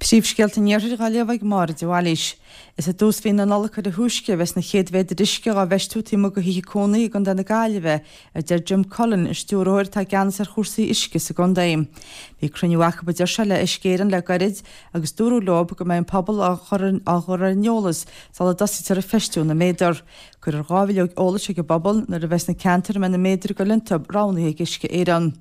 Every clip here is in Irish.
Príomhscéalta an Iarthair dhá léamh ag Máire de Bhailís. Is i dtús mhí na Nollag ar a thúisce a bheas na chéad mhéadair uisce dhá bhfeistiú taobh amuigh de thithe cónaithe i gContae na Gaillimhe, a deir Jim Cullen, an stiúrthóir atá i gceannas ar chúrsaí uisce sa gcontae. Bhí cruinniú acu a deir sé le Uisce Éireann le gairid agus dúradh leo go mbeidh an pobal á chur ar an eolas sula dtosaítear ag feistiú na méadar. Cuirfear 2 bhileog eolais chuig an bpobal nuair a bheas na ceantair a mbeidh na méadair ag dul iontu roghnaithe ag Uisce Éireann.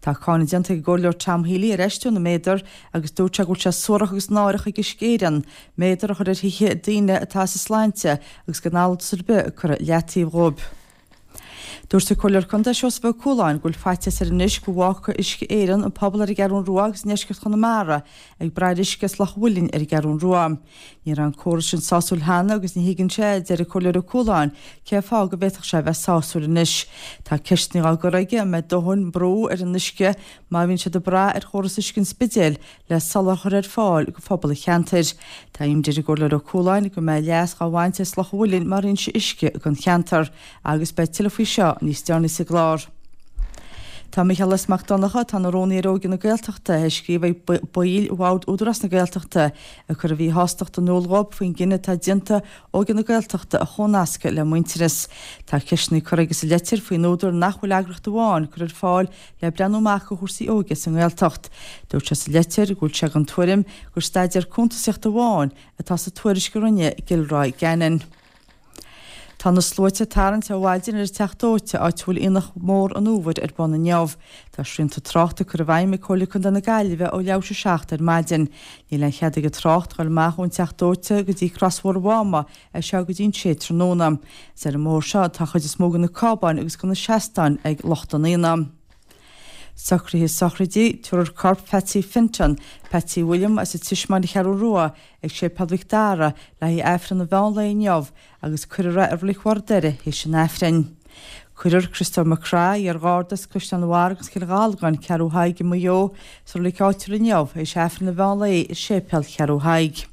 Tá cáineadh déanta ag an gComhairleoir Tom Healy ar fheistiú na méadar agus dúirt sé go bhfuil sé suarach agus náireach ag Uisce Éireann méadar a chur ar thithe daoine atá as a sláinte agus gan eolas ar bith curtha i leataobh dhóibh. Dúirt an Comhairleoir Contae Seosamh Ó Cualáin go bhfuil faitíos air anois go bhfágfaidh Uisce Éireann an pobal ar an gCeathrún Rua agus i ndeisceart Chonamara ag brath ar uisce as Loch an Mhuilinn ar an gCeathrún Rua. Ní raibh an córas sin sásúil cheana agus ní thuigeann sé, a deir an Comhairleoir Ó Cualáin, cén fáth go bhféadfadh sé a bheith sásúil anois. Tá ceisteanna á gcur aige an mbeidh dóthain brú ar an uisce má bhíonn siad ag brath ar chóras uisce an Spidéil le soláthar a chur ar fáil do phobal an cheantair. Tá imní ar an gComhairleoir Ó Cualáin go mbeidh leas dhá bhaint as Loch an Mhuilinn mar fhoinse uisce don cheantar agus beidh tuilleadh faoi seo níos deireanaí sa gclár. Tá Micheál S. Mac Donncha, atá ina rúnaí ar Óige na Gaeltachta, ag scríobh ag baill Bhord Údarás na Gaeltachta ag cur a mhíshástacht in iúl dhóibh faoin gcinneadh atá déanta Óige na Gaeltachta a chónascadh le Muintearas. Tá ceisteanna curtha aige sa leitir faoin údar nach bhfuil eagraíocht amháin curtha ar fáil le breathnú amach do chúrsaí óige sa nGaeltacht. Dúirt sé sa leitir go bhfuil sé den tuairim gur staidéar cuntasaíochta amháin atá sa tuairisc a rinne Gilroy Gannon. Tá na sluaite ag tarraingt ó mhaidin ar an Teach Dóite, áit a bhfuil Aonach Mór an Fhómhair ar bun inniu. Tá srianta tráchta curtha i bhfeidhm ag Comhairle Contae na Gaillimhe ó leathuair tar éis a 7 ar maidin. Níl aon chead ag an trácht dul amach ón Teach Dóite go dtí Crosbhóthar Mháma as seo go dtí an sé tráthnóna. Is ar an mbóthar seo atá an chuid is mó de na cábáin agus de na seastáin ag lucht an aonaigh. Socruithe sochraide, tabharfar corp Phatsy Fenton, Patsy William as an Tismeáin An Cheathrú Rua, ag Séipéal Mhic Dara le haghaidh Aifreann an mheán lae inniu agus cuirfear é i Reilig Bharr Doire théis an Aifrinn. Cuirfear Criostóir Mac Craith, iar-gharda as Caisleán an Bharraigh agus Cill Ghalgáin, Ceathrú Thaidhg i Maigh Eo, sa reilig áitiúil inniu théis Aifreann an mheán lae i Séipéal Cheathrú Thaidhg.